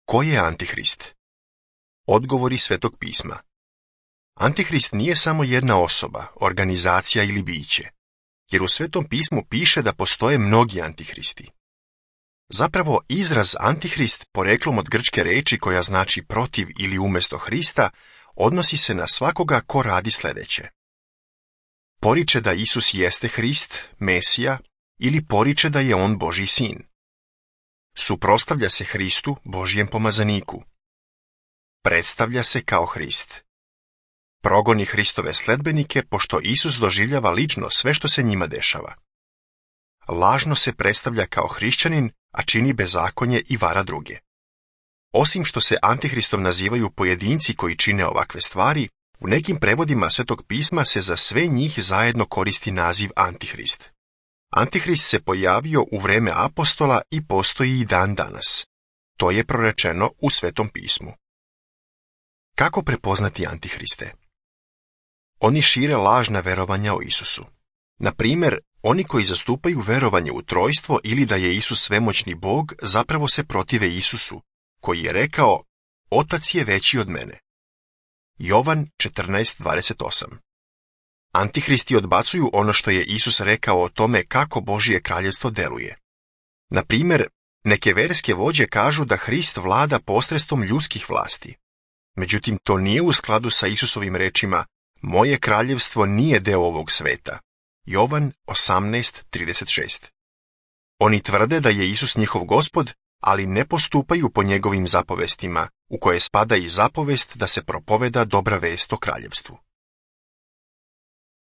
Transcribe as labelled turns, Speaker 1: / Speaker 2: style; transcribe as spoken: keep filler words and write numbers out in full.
Speaker 1: Ko je Antihrist? Odgovori Svetog pisma. Antihrist nije samo jedna osoba, organizacija ili biće, jer u Svetom pismu piše da postoje mnogi antihristi. Zapravo, izraz Antihrist, poreklom od grčke reči koja znači protiv ili umjesto Hrista, odnosi se na svakoga ko radi sljedeće. Poriče da Isus jeste Hrist, Mesija, ili poriče da je on Božji sin. Suprotstavlja se Hristu, Božjem pomazaniku. Predstavlja se kao Hrist. Progoni Hristove sledbenike, pošto Isus doživljava lično sve što se njima dešava. Lažno se predstavlja kao hrišćanin, a čini bezakonje i vara druge. Osim što se Antihristom nazivaju pojedinci koji čine ovakve stvari, u nekim prevodima Svetog pisma se za sve njih zajedno koristi naziv Antihrist. Antihrist se pojavio u vreme apostola i postoji i dan danas. To je prorečeno u Svetom pismu. Kako prepoznati Antihriste? Oni šire lažna verovanja o Isusu. Na primjer, oni koji zastupaju verovanje u trojstvo ili da je Isus svemoćni Bog zapravo se protive Isusu, koji je rekao, Otac je veći od mene. Jovan četrnaest dvadeset osam. Antihristi odbacuju ono što je Isus rekao o tome kako Božje kraljevstvo deluje. Na primjer, neke verske vođe kažu da Hrist vlada posredstvom ljudskih vlasti. Međutim, to nije u skladu sa Isusovim rečima, moje kraljevstvo nije deo ovog sveta. Jovan osamnaest trideset šest. Oni tvrde da je Isus njihov gospod, ali ne postupaju po njegovim zapovestima, u koje spada i zapovest da se propoveda dobra vest o kraljevstvu.